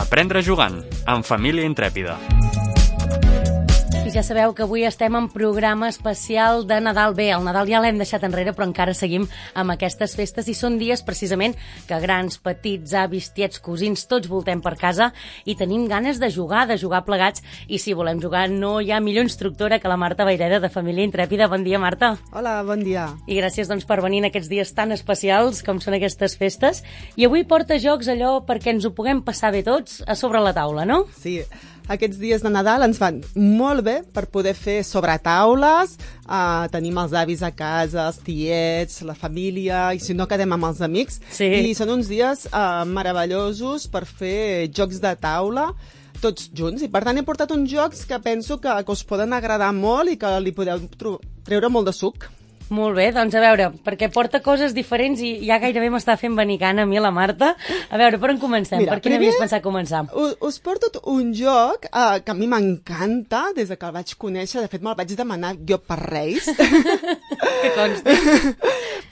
Aprendre jugant, amb Família Intrèpida. I ja sabeu que avui estem en programa especial de Nadal. Bé, el Nadal ja l'hem deixat enrere, però encara seguim amb aquestes festes i són dies precisament que grans, petits, avis, tiets, cosins, tots voltem per casa i tenim ganes de jugar plegats. I si volem jugar no hi ha millor instructora que la Marta Vayreda de Família Intrèpida. Bon dia, Marta. Hola, bon dia. I gràcies doncs, per venir en aquests dies tan especials com són aquestes festes. I avui porta jocs allò perquè ens ho puguem passar bé tots a sobre la taula, no? Sí, aquests dies de Nadal ens van molt bé per poder fer sobretaules, tenim els avis a casa, els tiets, la família, i si no quedem amb els amics. Sí. I són uns dies meravellosos per fer jocs de taula tots junts. I per tant he portat uns jocs que penso que us poden agradar molt i que li podeu treure molt de suc. Molt bé, doncs a veure, perquè porta coses diferents i ja gairebé m'està fent venir gana a mi la Marta. A veure, per on comencem? Mira, per quin havies pensat començar? Us porto un joc que a mi m'encanta des de que el vaig conèixer. De fet, me'l vaig demanar jo per Reis. Que consti.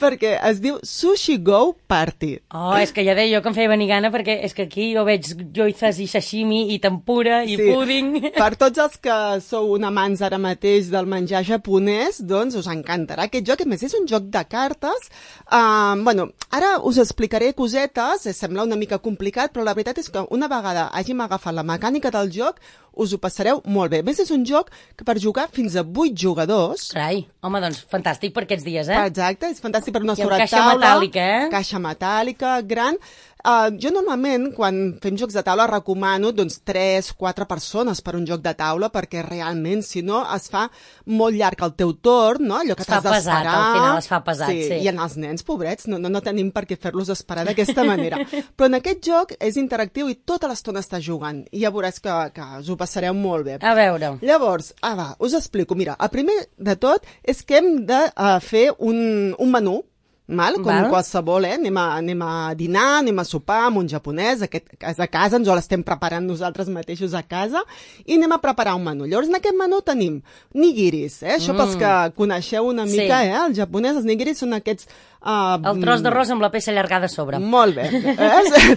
Perquè es diu Sushi Go Party. Oh, és que ja deia jo que em feia venir gana perquè és que aquí jo veig joizas i sashimi i tempura i púding. Per tots els que sou un amants ara mateix del menjar japonès, doncs us encantarà aquest joc. A més, és un joc de cartes. Ara us explicaré cosetes, sembla una mica complicat, però la veritat és que una vegada hàgim agafat la mecànica del joc, us ho passareu molt bé. A més, és un joc que per jugar fins a 8 jugadors... Carai, home, doncs fantàstic per aquests dies, eh? Exacte, és fantàstic per una I amb sobretaula. caixa metàl·lica, eh? Caixa metàl·lica, gran. Jo normalment, quan fem jocs de taula, recomano 3-4 persones per un joc de taula, perquè realment, si no, es fa molt llarg el teu torn, no? Allò que t'has d'esperar. Al final es fa pesat, sí. I en els nens, pobrets, no tenim per què fer-los esperar d'aquesta manera. Però en aquest joc és interactiu i tota l'estona està jugant. I ja veuràs que us ho passareu molt bé. A veure. Llavors, us explico. Mira, el primer de tot és que hem de fer un menú, com qualsevol, anem a dinar, anem a sopar amb un japonès, a casa, ens ho l'estem preparant nosaltres mateixos a casa, i anem a preparar un menú. Llavors, en aquest menú tenim nigiris, això pels que coneixeu una mica, el japonès, els nigiris són aquests... el tros d'arròs amb la peça allargada a sobre. Molt bé,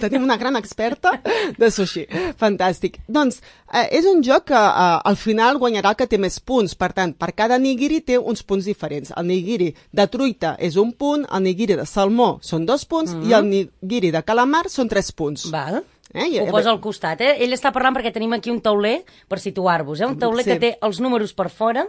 tenim una gran experta de sushi, fantàstic. Doncs és un joc que al final guanyarà el que té més punts, per tant, per cada nigiri té uns punts diferents. El nigiri de truita és un punt, el nigiri de salmó són 2 punts i el nigiri de calamar són 3 punts. Val. Ho posa al costat, eh? Ell està parlant perquè tenim aquí un tauler per situar-vos, un tauler que té els números per fora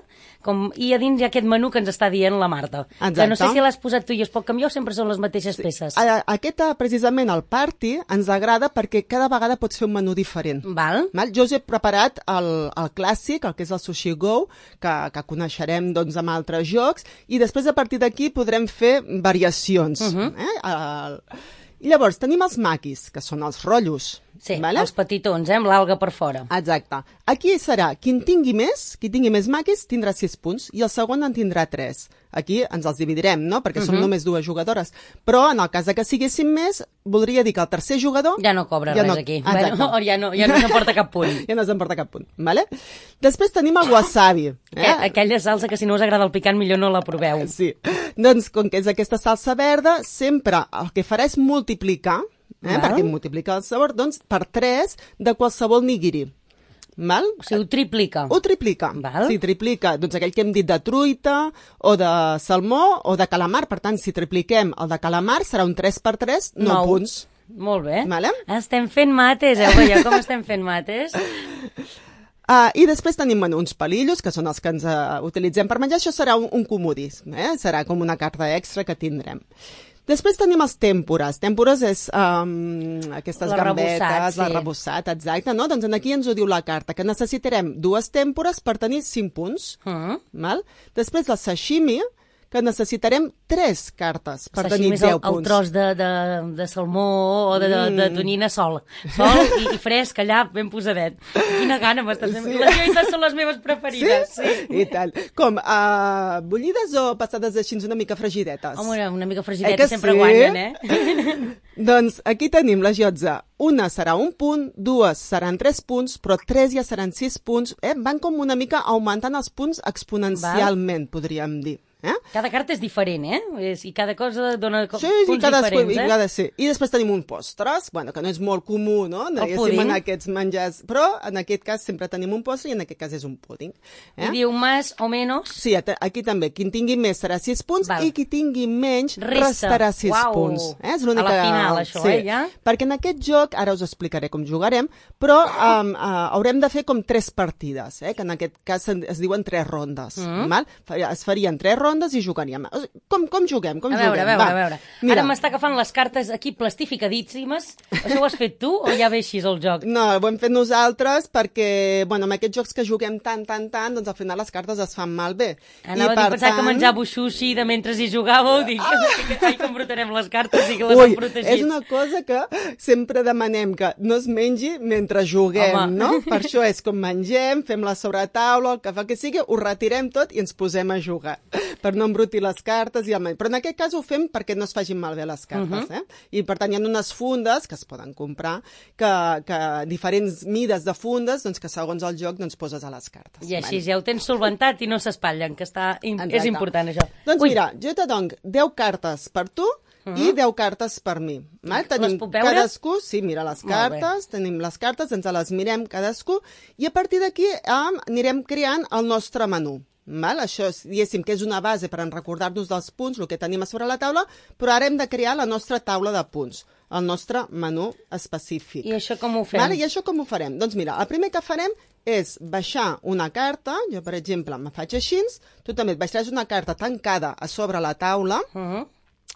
i a dins hi ha aquest menú que ens està dient la Marta. Exacte. Que no sé si l'has posat tu i es pot canviar o sempre són les mateixes peces. Aquest, precisament, el party, ens agrada perquè cada vegada pots fer un menú diferent. Val. Jo us he preparat el clàssic, el que és el Sushi Go, que coneixerem amb altres jocs, i després a partir d'aquí podrem fer variacions. I llavors tenim els maquis, que són els rotllos. Sí, els petitons, amb l'alga per fora. Exacte. Aquí serà, qui tingui més maquis, tindrà 6 punts, i el segon en tindrà 3. Aquí ens els dividirem, no?, perquè som només 2 jugadores. Però en el cas que siguéssim més, voldria dir que el tercer jugador... Ja no cobra res aquí. Bueno, ja no s'emporta cap punt. Ja no s'emporta cap punt, vale? Després tenim el wasabi. Aquella salsa que si no us agrada el picant millor no la proveu. Sí. Doncs, com que és aquesta salsa verda, sempre el que farà és multiplicar, perquè multiplica el sabor, doncs per 3 de qualsevol nigiri. Val? O sigui, ho triplica. Ho triplica. Val. Sí, triplica. Doncs aquell que hem dit de truita, o de salmó, o de calamar. Per tant, si tripliquem el de calamar, serà un 3 per 3, 9 punts. Molt bé. Vale? Estem fent mates, veieu com estem fent mates? I després tenim uns palillos, que són els que ens utilitzem per menjar. Això serà un comodí, serà com una carta extra que tindrem. Després tenim els tèmpores. Tèmpores és aquestes gambetes, l'arrebossat, exacte, no? Doncs aquí ens ho diu la carta, que necessitarem 2 tèmpores per tenir 5 punts. Val? Després el sashimi, que necessitarem 3 cartes per tenir 10 punts. El tros de salmó o de tonyina sol i fresc allà, ben posadet. Quina gana m'estàs fent. Les joites són les meves preferides. Sí? I tant. Com, bullides o passades així una mica fregidetes? Home, una mica fregidetes sempre guanyen, eh? Doncs aquí tenim la jotza. Una serà 1 punt, 2 seran 3 punts, però 3 ja seran 6 punts. Van com una mica augmentant els punts exponencialment, podríem dir. Cada carta és diferent, I cada cosa dona punts diferents, I després tenim un postres, que no és molt comú, no? En aquests menjars, però en aquest cas sempre tenim un postre i en aquest cas és un púding. I diu més o menys? Sí, aquí també. Qui tingui més serà 6 punts i qui tingui menys restarà 6 punts. És l'única... A la final, això, ja? Perquè en aquest joc, ara us explicaré com jugarem, però haurem de fer com 3 partides, que en aquest cas es diuen 3 rondes. Es farien 3 rondes i jugaríem. Com juguem? A veure. Ara m'està agafant les cartes aquí plastificadíssimes. Això ho has fet tu o ja ve així el joc? No, ho hem fet nosaltres perquè, amb aquests jocs que juguem tant, doncs al final les cartes es fan malbé. Anava a pensar que menjàveu sushi de mentre hi jugàveu, dic, ai, com brotarem les cartes i que les hem protegit. És una cosa que sempre demanem que no es mengi mentre juguem, no? Per això és com mengem, fem la sobretaula, el que fa que sigui, ho retirem tot i ens posem a jugar, per no embrutir les cartes. Però en aquest cas ho fem perquè no es facin malbé les cartes. I per tant hi ha unes fundes que es poden comprar, que diferents mides de fundes, doncs que segons el joc poses a les cartes. I així ja ho tens solventat i no s'espatllen, que és important això. Doncs mira, jo te dono 10 cartes per tu i 10 cartes per mi. Les puc veure? Cadascú, sí, mira les cartes, tenim les cartes, ens les mirem cadascú i a partir d'aquí anirem creant el nostre menú. Això, diguéssim, que és una base per recordar-nos dels punts, el que tenim a sobre la taula, però ara hem de crear la nostra taula de punts, el nostre menú específic. I això com ho fem? I això com ho farem? Doncs mira, el primer que farem és baixar una carta, jo per exemple me faig així, tu també et baixaràs una carta tancada a sobre la taula,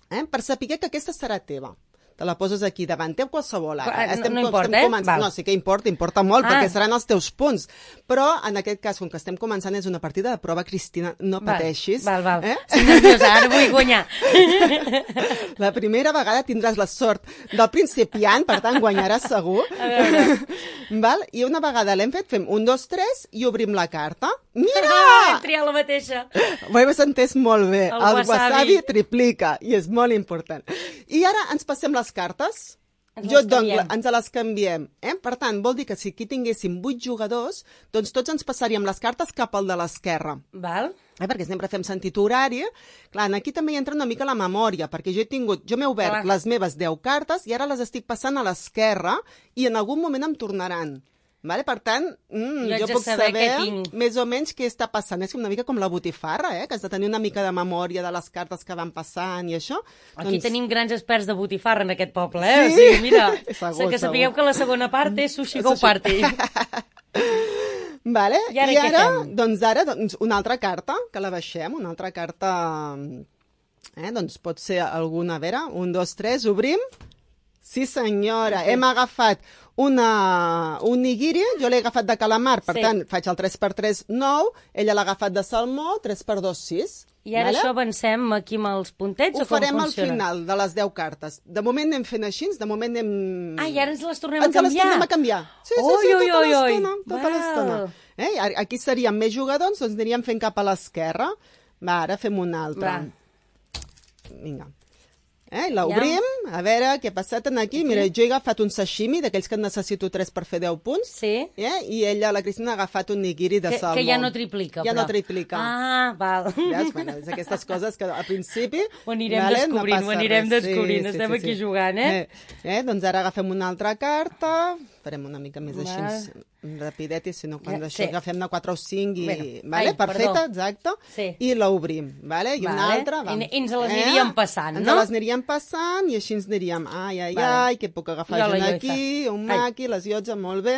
per saber que aquesta serà teva. Te la poses aquí davant teu qualsevol. No importa, No, sí que importa molt, perquè seran els teus punts. Però, en aquest cas, com que estem començant, és una partida de prova, Cristina, no pateixis. Val. Estic nerviosa, ara vull guanyar. La primera vegada tindràs la sort del principiant, per tant, guanyaràs segur. I una vegada l'hem fet, fem 1, 2, 3 i obrim la carta. Mira! Hem triat la mateixa. Ho heu entès molt bé. El wasabi triplica, i és molt important. I ara ens passem les cartes. Ens les canviem. Per tant, vol dir que si aquí tinguéssim 8 jugadors, doncs tots ens passaríem les cartes cap al de l'esquerra. Val. Perquè sempre fem sentit horari. Clar, aquí també hi entra una mica la memòria, perquè jo m'he obert les meves 10 cartes i ara les estic passant a l'esquerra i en algun moment em tornaran. Per tant, jo puc saber més o menys què està passant. És una mica com la botifarra, que has de tenir una mica de memòria de les cartes que van passant i això. Aquí tenim grans experts de botifarra en aquest poble, Sí? O sigui, mira, segur. sapigueu que la segona part és Sushi Go Party. I ara, una altra carta, que la baixem, una altra carta, doncs pot ser alguna, a veure, 1, 2, 3, obrim. Sí, senyora, hem agafat un nigiri, jo l'he agafat de calamar, per tant, faig el 3x3, 9, ella l'ha agafat de salmó, 3x2, 6. I ara això avancem aquí amb els puntets o com funciona? Ho farem al final de les 10 cartes. De moment anem fent així, de moment anem... I ara ens les tornem a canviar? Ens les tornem a canviar. Sí, tota l'estona. Aquí seríem més jugadors, doncs aniríem fent cap a l'esquerra. Ara fem una altra. Vinga. L'obrim, a veure què ha passat aquí. Mira, jo he agafat un sashimi, d'aquells que en necessito 3 per fer 10 punts. Sí. I ella, la Cristina, ha agafat un nigiri de salmó. Que ja no triplica, però. Ja no triplica. Val. Veus? És aquestes coses que al principi... Ho anirem descobrint, estem aquí jugant, Doncs ara agafem una altra carta, farem una mica més així rapidet, si no, quan això agafem de 4 o 5 i... Perfecte, exacte. I l'obrim, i una altra... I ens les aniríem passant, no? Ens les aniríem passant i així ens diríem ai, que puc agafar jo aquí, un maqui, les iotza, molt bé.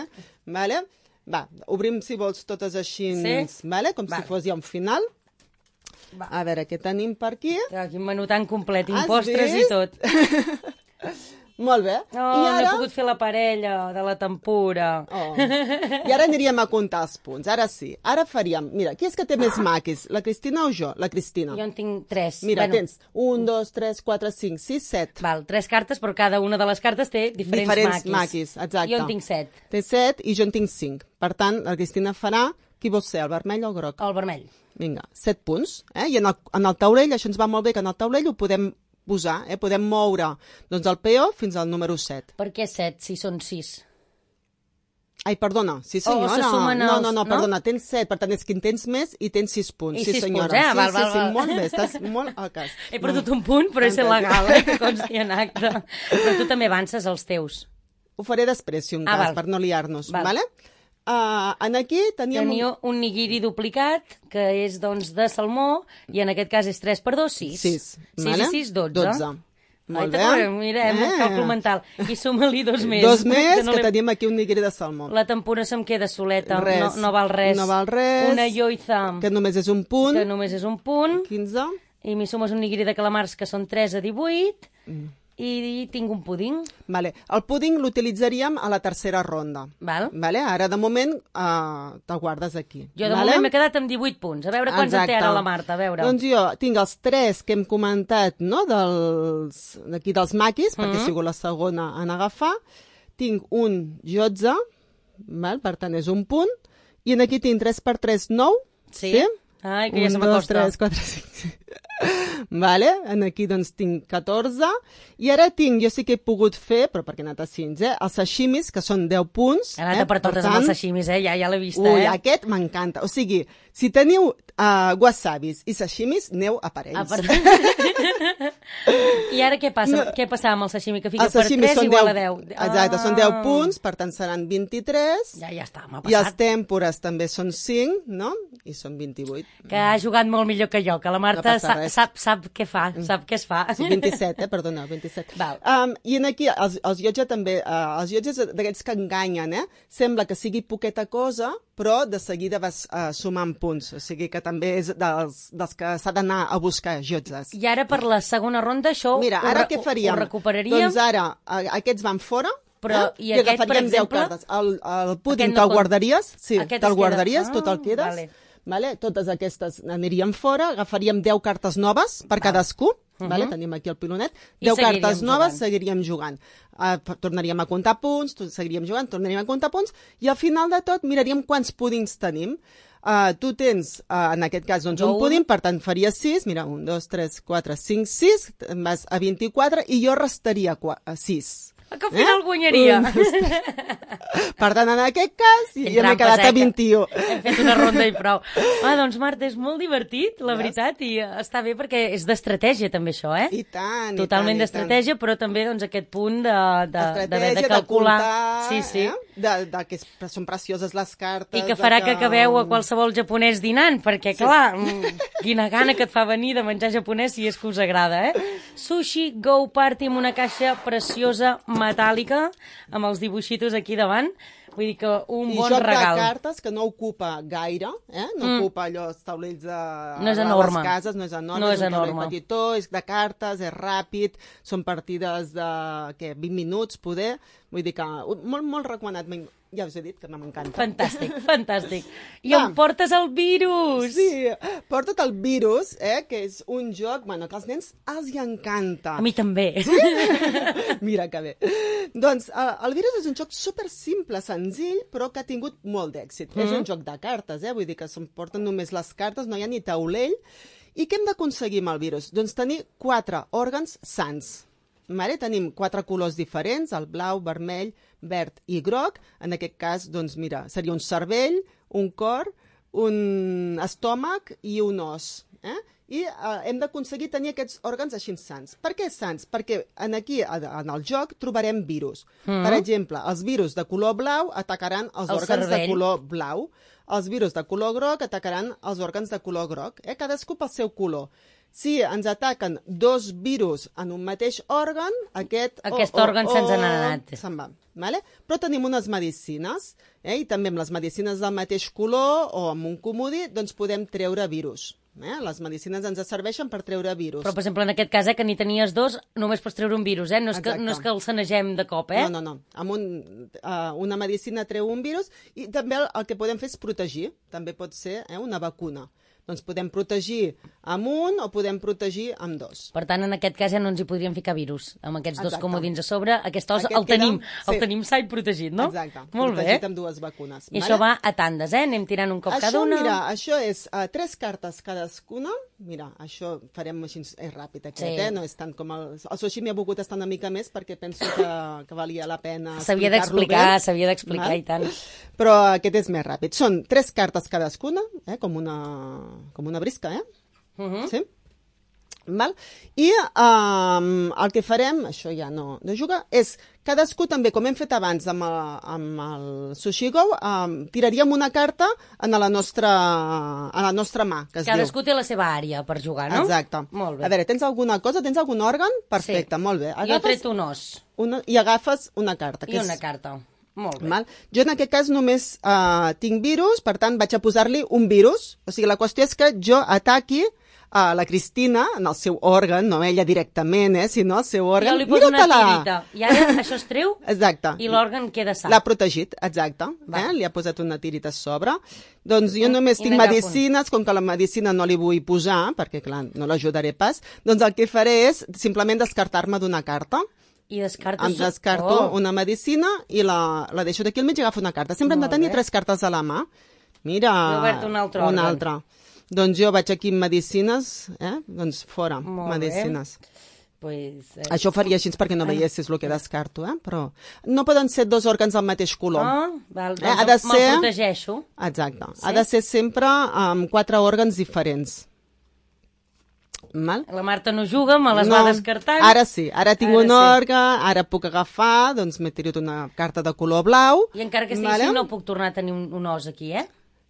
Obrim, si vols, totes així, com si fos ja un final. A veure, què tenim per aquí? Quin menú tan complet, impostres i tot. Molt bé. No he pogut fer la parella de la tempura. I ara aniríem a comptar els punts. Ara sí. Ara faríem... Mira, qui és que té més maquis? La Cristina o jo? La Cristina. Jo en tinc 3. Mira, tens 1, 2, 3, 4, 5, 6, 7. Val, 3 cartes, però cada una de les cartes té diferents maquis. Exacte. Jo en tinc 7. Té 7 i jo en tinc 5. Per tant, la Cristina farà... Qui vols ser, el vermell o el groc? El vermell. Vinga, 7 punts. I en el taulell, això ens va molt bé, que en el taulell ho podem posar, podem moure el peó fins al número 7. Per què 7, si són 6? Ai, perdona, sí senyora. se sumen els... No, perdona, tens 7, per tant és que en tens més i tens 6 punts. I sí 6 senyora. punts, val. Sí, molt bé, estàs molt al cas. He perdut un punt, però és legal, que consti en acte. Però tu també avances els teus. Ho faré després, si un cas, per no liar-nos, vale? En aquí teníem... Teniu un nigiri duplicat, que és, doncs, de salmó, i en aquest cas és 3 per 2, 6. 6, 6 i 6, 12. Molt bé. Mira, càlcul mental. I suma-li 2 més. 2 més, que tenim aquí un nigiri de salmó. La tempura se'm queda soleta. Res. No val res. No val res. Una yoiza. Que només és un punt. 15. 15. I m'hi sumes un nigiri de calamars, que són 3 a 18. I tinc un púding. Vale. El púding l'utilitzaríem a la tercera ronda. Vale? Ara, de moment, te'l guardes aquí. Jo, de moment, m'he quedat amb 18 punts. A veure quants en té ara la Marta, a veure. Doncs jo tinc els 3 que hem comentat, no?, d'aquí dels maquis, perquè ha sigut la segona en agafar. Tinc un jotze, per tant, és un punt. I aquí tinc 3 per 3, 9. Sí? Ai, que ja se m'acosta. 1, 2, 3, 4, 5... Vale? Aquí doncs tinc 14 i ara tinc, jo sí que he pogut fer, però perquè he anat a 5, els sashimis, que són 10 punts. He anat per totes amb els sashimis, ja l'he vista. Ui, aquest m'encanta. O sigui, si teniu wasabis i sashimis, aneu a parells. I ara què passa? Què passa amb el sashimi? Que fica per 3 igual a 10. Exacte, són 10 punts, per tant seran 23. Ja està, m'ha passat. I els tèmpores també són 5, no? I són 28. Que ha jugat molt millor que jo, que la Marta sap què fa, sap què es fa. 27, perdona, 27. I aquí, els llotges també, els llotges d'aquests que enganyen, sembla que sigui poqueta cosa, però de seguida vas sumant punts, o sigui que també és dels que s'ha d'anar a buscar llotzes. I ara per la segona ronda això Mira, ara què faríem? Ho recuperaríem? Doncs ara, aquests van fora, i aquest, per exemple... 10 cartes. El púding te'l guardaries? Sí, te'l guardaries, tot el quedes. Vale? Totes aquestes anirien fora, agafaríem 10 cartes noves per cadascú, vale? Tenim aquí el pilonet, 10 cartes noves, seguiríem jugant. Tornaríem a comptar punts, seguiríem jugant, tornaríem a comptar punts, i al final de tot miraríem quants púdings tenim. Tu tens, en aquest cas, doncs, un púding, per tant faria 6, mira, 1, 2, 3, 4, 5, 6, vas a 24, i jo restaria 6. Que al final guanyaria. Per tant, en aquest cas, ja m'he quedat a 21. Hem fet una ronda i prou. Doncs, Marta, és molt divertit, la veritat, i està bé perquè és d'estratègia, també, això, I tant, totalment d'estratègia, però també doncs, aquest punt d'haver de calcular. Sí. Que són precioses les cartes. I que farà que acabeu a qualsevol japonès dinant, perquè, clar, quina gana que et fa venir de menjar japonès si és que us agrada, Sushi Go Party amb una caixa preciosa metàl·lica, amb els dibuixitos aquí davant. Vull dir que un bon regal. I joc de cartes que no ocupa gaire, no ocupa allò, els taulells de les cases, no és enorme, és un taulell petitó, és de cartes, és ràpid, són partides de 20 minuts, poder. Vull dir que molt, molt recomanat. Ja us he dit que m'encanta. Fantàstic, fantàstic. I on portes el virus? Sí, porta't el virus, que és un joc, bueno, que als nens els hi encanta. A mi també. Sí? Mira que bé. Doncs el virus és un joc super simple, senzill, però que ha tingut molt d'èxit. És un joc de cartes, vull dir que se'n porten només les cartes, no hi ha ni taulell. I què hem d'aconseguir amb el virus? Doncs tenir 4 òrgans sans. Tenim 4 colors diferents, el blau, vermell, verd i groc. En aquest cas, doncs mira, seria un cervell, un cor, un estómac i un os. I hem d'aconseguir tenir aquests òrgans així sants. Per què sants? Perquè aquí, en el joc, trobarem virus. Per exemple, els virus de color blau atacaran els òrgans de color blau. Els virus de color groc atacaran els òrgans de color groc. Cadascú pel seu color. Si ens ataquen 2 virus en un mateix òrgan, aquest òrgan se'ns n'ha anat. Se'n va. Però tenim unes medicines, i també amb les medicines del mateix color o amb un comodí, doncs podem treure virus. Les medicines ens serveixen per treure virus. Però, per exemple, en aquest cas, que n'hi tenies 2, només pots treure un virus, no és que el sanegem de cop, No. Amb una medicina treu un virus i també el que podem fer és protegir. També pot ser una vacuna. Doncs podem protegir amb un o podem protegir amb 2. Per tant, en aquest cas ja no ens hi podríem ficar virus. Amb aquests 2 comodins a sobre, aquest os el tenim sa i protegit, no? Exacte, molt protegit amb 2 vacunes. I això va a tandes, anem tirant un cop cada una. Mira, això és 3 cartes cadascuna, mira, això farem així, és ràpid aquest, no és tant com el sushi m'hi ha volgut estar una mica més perquè penso que valia la pena s'havia d'explicar i tant. Però aquest és més ràpid. Són 3 cartes cadascuna, com una brisca, sí? Val? I el que farem, això ja no juga, és cadascú també, com hem fet abans amb el Sushi Go, tiraríem una carta a la nostra mà, que es cadascú té la seva àrea per jugar, no? Exacte. Molt bé. A veure, tens alguna cosa? Tens algun òrgan? Perfecte, molt bé. Jo he tret un os. I agafes una carta. Una carta. Molt bé. Mal. Jo en aquest cas només tinc virus, per tant vaig a posar-li un virus. O sigui, la qüestió és que jo ataqui la Cristina en el seu òrgan, no ella directament, sinó el seu òrgan. Jo li poso una tirita. I ara això es treu. Exacte. I l'òrgan queda sa. L'ha protegit, exacte. Li ha posat una tirita a sobre. Doncs jo només tinc medicines, com que la medicina no li vull posar, perquè clar, no l'ajudaré pas, doncs el que faré és simplement descartar-me d'una carta. I descartes... Em descarto una medicina i la deixo d'aquí al mig i agafo una carta. Sempre hem de tenir 3 cartes a la mà. Mira, he obert un altre òrgan. Una altra. Doncs jo vaig aquí amb medicines, doncs fora, medicines. Pues, Això ho faria així perquè no veiessis el que descarto, però no poden ser 2 òrgans del mateix color. Val, doncs me'l protegeixo. Exacte. Sí? Ha de ser sempre amb 4 òrgans diferents. Mal? La Marta no juga, me les va descartant. Ara sí, ara tinc un òrgan, ara puc agafar, doncs m'he tirat una carta de color blau. I encara que estigui així no puc tornar a tenir un os aquí,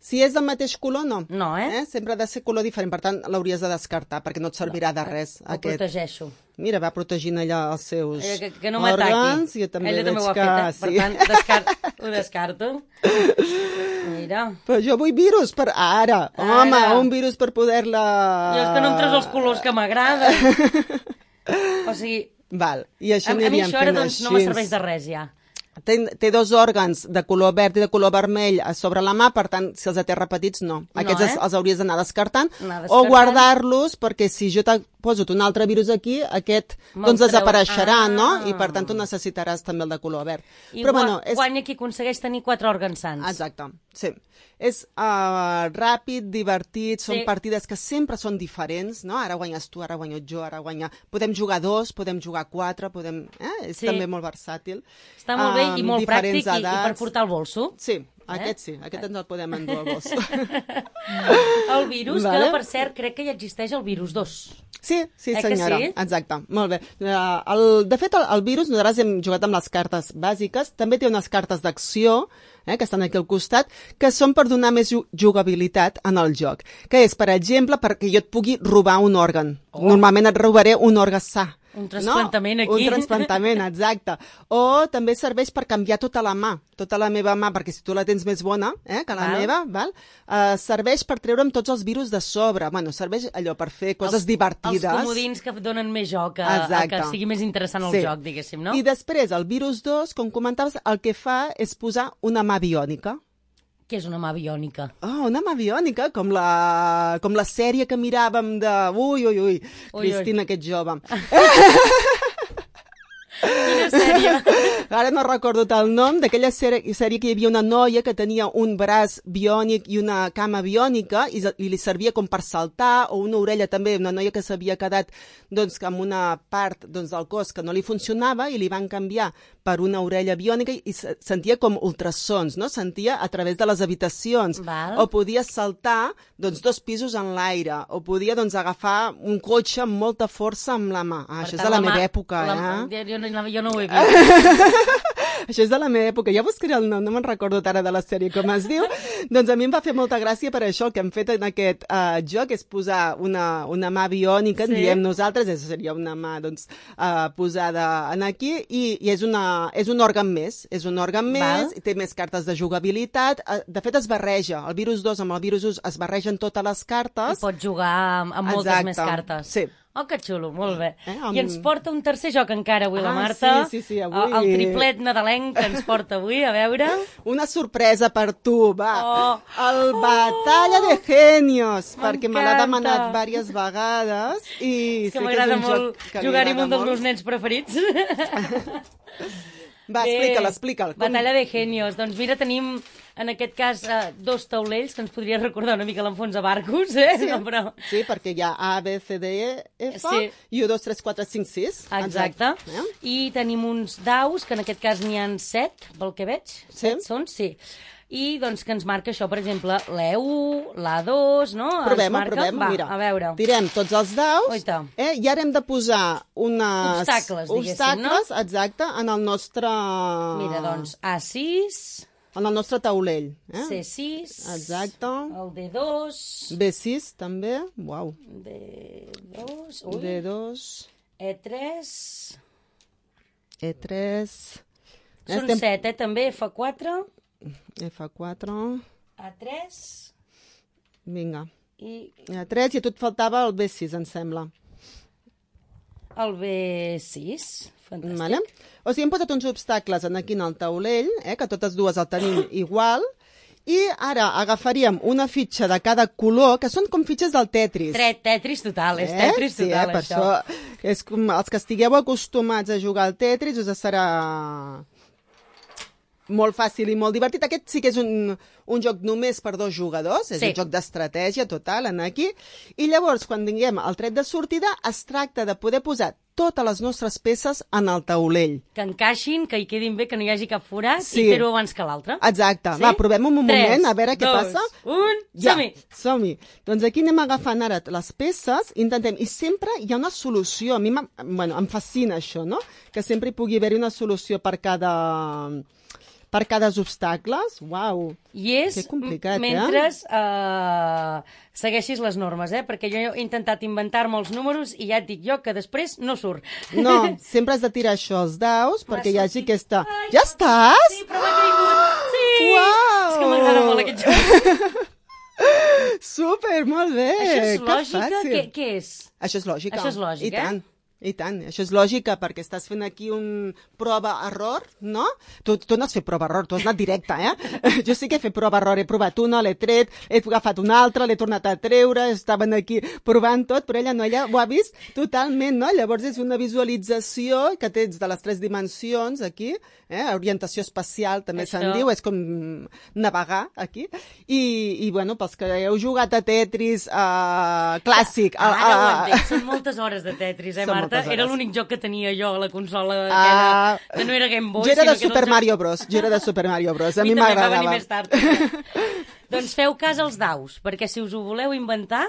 Si és del mateix color, no. No, Sempre ha de ser color diferent, per tant l'hauries de descartar, perquè no et servirà de res. El protegeixo. Mira, va protegint allà els seus que no m'ataqui. Jo també ella també ho ha fet, per tant ho descarto. Mira. Però jo vull virus per ara. Home, un virus per poder-la... Jo és que no em treus els colors que m'agraden. O sigui... Val, i això aniríem fent així. A mi això ara doncs no me serveix de res ja. Té 2 òrgans de color verd i de color vermell a sobre la mà, per tant, si els té repetits, no. Aquests els hauries d'anar descartant o guardar-los, perquè si jo t'he posat un altre virus aquí, aquest doncs desapareixerà, no? I per tant tu necessitaràs també el de color verd. I guanya qui aconsegueix tenir 4 òrgans sants. Exacte, sí. És ràpid, divertit, són partides que sempre són diferents, no? Ara guanyes tu, ara guanyo jo, ara guanya... Podem jugar 2, podem jugar 4, podem... És també molt versàtil. Està molt bé i molt pràctic i per portar el bolso. Sí, aquest ens el podem endur al bolso. El virus, que per cert crec que ja existeix el virus 2. Sí, senyora, exacte, molt bé. De fet, el virus, nosaltres hem jugat amb les cartes bàsiques, també té unes cartes d'acció, que estan aquí al costat, que són per donar més jugabilitat en el joc. Que és, per exemple, perquè jo et pugui robar un òrgan. Normalment et robaré un òrgan sa. Un trasplantament aquí. Un trasplantament, exacte. O també serveix per canviar tota la mà, tota la meva mà, perquè si tu la tens més bona que la meva, serveix per treure'm tots els virus de sobre. Bueno, serveix allò per fer coses divertides. Els comodins que donen més joc, que sigui més interessant el joc, diguéssim, no? I després, el virus 2, com comentaves, el que fa és posar una mà biònica. Què és una mà biònica? Una mà biònica, com la sèrie que miràvem de... Ui, Cristina, aquest jove. Quina sèrie? Ara no recordo el nom, d'aquella sèrie que hi havia una noia que tenia un braç biònic i una cama biònica i li servia com per saltar, o una orella també, una noia que s'havia quedat amb una part del cos que no li funcionava i li van canviar per una orella biònica i sentia com ultrasons, no? Sentia a través de les habitacions. O podia saltar 2 pisos en l'aire, o podia agafar un cotxe amb molta força amb la mà. Això és de la meva època, Jo no ho he vist. Això és de la meva època. Ja buscaré el nom, no me'n recordo ara de la sèrie com es diu. Doncs a mi em va fer molta gràcia per això. El que hem fet en aquest joc és posar una mà biònica, en diem nosaltres, seria una mà posada aquí, i és un òrgan més. És un òrgan més, té més cartes de jugabilitat. De fet, es barreja. El virus 2 amb el virus 1 es barregen totes les cartes. I pots jugar amb moltes més cartes. Sí. Oh, que xulo, molt bé. I ens porta un tercer joc encara avui, la Marta. Sí, avui. El triplet nadalenc que ens porta avui, a veure. Una sorpresa per tu, va. El Batalla de Genios, perquè me l'ha demanat diverses vegades. És que m'agrada molt jugar-hi amb un dels meus nens preferits. Va, explica'l. Batalla de genios. Doncs mira, tenim en aquest cas 2 taulells, que ens podria recordar una mica l'Enfons a Barcos, Sí, no, però... sí, perquè hi ha A, B, C, D, E, F, Sí. i 1, 2, 3, 4, 5, 6. Exacte. I tenim uns daus, que en aquest cas n'hi ha 7, pel que veig. Sí. 7 són, sí. I doncs que ens marca això, per exemple, l'E1, l'A2, no? Provem, Va, mira. a veure. Tirem tots els daus, Oita. i ara hem de posar unes... Obstacles, diguéssim, no? Exacte, en el nostre... Mira, doncs, A6, En el nostre taulell. C6, Exacte. el D2, B6, també. Uau. D2, D2, E3... E3... Són 7, també, F4, F4... A3 Vinga. i A3, i a tu et faltava el B6, em sembla. el B6. Fantàstic. Vale? O sigui, hem posat uns obstacles aquí en el taulell, que totes dues el tenim igual, i ara agafaríem una fitxa de cada color, que són com fitxes del Tetris. Tetris total, és Tetris Sí, total, per això. És com els que estigueu acostumats a jugar al Tetris, us serà molt fàcil i molt divertit. Aquest sí que és un joc només per 2 jugadors, és un joc d'estratègia total en aquí, i llavors quan tinguem el tret de sortida es tracta de poder posar totes les nostres peces en el taulell. Que encaixin, que hi quedin bé, que no hi hagi cap forat, Sí. i fer-ho abans que l'altre. Exacte. Sí? Va, provem un moment, a veure què 3, passa. 2, 1, som-hi! Som-hi. Doncs aquí anem agafant ara les peces, intentem, i sempre hi ha una solució. A mi em fascina això, no? Que sempre hi pugui haver una solució per cada obstacles. Uau, I és que complicat, mentre segueixis les normes, perquè jo he intentat inventar-me els números i ja et dic jo que després no surt. No, sempre has de tirar això als daus perquè hi hagi aquesta... Ai, Ja estàs? Sí, però m'ha caigut. Sí! Uau! És que m'agrada molt aquest joc. Super, molt bé. Això és que lògica? fàcil. Què és? Això és lògica. Això és lògica, I tant, això és lògica, perquè estàs fent aquí un prova-error, no? Tu no has fet prova-error, tu has anat directe, Jo sí que he fet prova-error, he provat una, l'he tret, he agafat una altra, l'he tornat a treure, estaven aquí provant tot, però ella ho ha vist totalment, no? Llavors és una visualització que tens de les 3 dimensions aquí, orientació espacial també se'n diu, és com navegar aquí, i bueno, pels que heu jugat a Tetris clàssic... Ara ho entenc, són moltes hores de Tetris, Marta? Era l'únic joc que tenia jo a la consola aquella, que no era Game Boy. Jo era de Super Mario Bros. A mi m'agradava. Va venir més tard. Doncs feu cas als daus, perquè si us ho voleu inventar,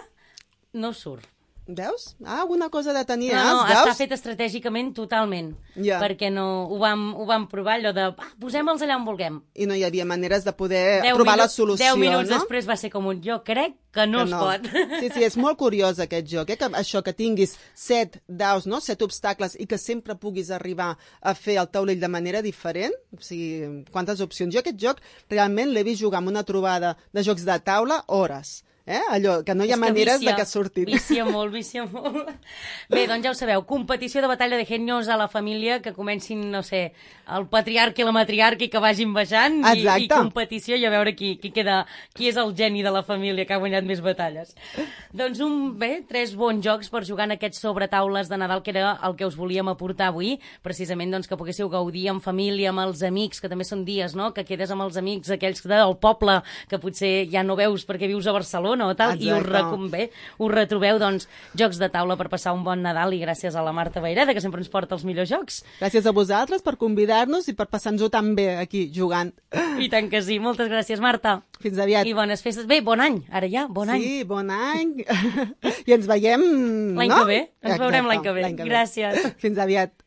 no surt. Veus? Una cosa de tenir, No, veus? està fet estratègicament totalment, perquè ho vam provar allò de posem-los allà on vulguem. I no hi havia maneres de poder trobar la solució, 10 minuts després va ser com jo crec que no es pot. Sí, és molt curiós aquest joc, que això que tinguis 7 daus, 7 obstacles i que sempre puguis arribar a fer el taulell de manera diferent, o sigui, quantes opcions. Jo aquest joc realment l'he vist jugar en una trobada de jocs de taula hores. Allò, que no hi ha maneres de que surtin. Vicia molt. Bé, doncs ja ho sabeu, competició de batalla de genios a la família, que comencin, no sé, el patriarca i la matriarca i que vagin baixant, i competició i a veure qui és el geni de la família que ha guanyat més batalles. Doncs 3 bons jocs per jugar en aquests sobretaules de Nadal, que era el que us volíem aportar avui, precisament doncs, que poguéssiu gaudir en família, amb els amics, que també són dies, no?, que quedes amb els amics, aquells del poble, que potser ja no veus perquè vius a Barcelona, o tal, i us retrobeu, doncs, jocs de taula per passar un bon Nadal, i gràcies a la Marta Vayreda, que sempre ens porta els millors jocs. Gràcies a vosaltres per convidar-nos i per passar-nos-ho tan bé aquí, jugant. I tant que sí. Moltes gràcies, Marta. Fins aviat. I bones festes. Bé, bon any, ara ja, bon any. Sí, bon any. I ens veiem... L'any que ve. Ens veurem l'any que ve. Gràcies. Fins aviat.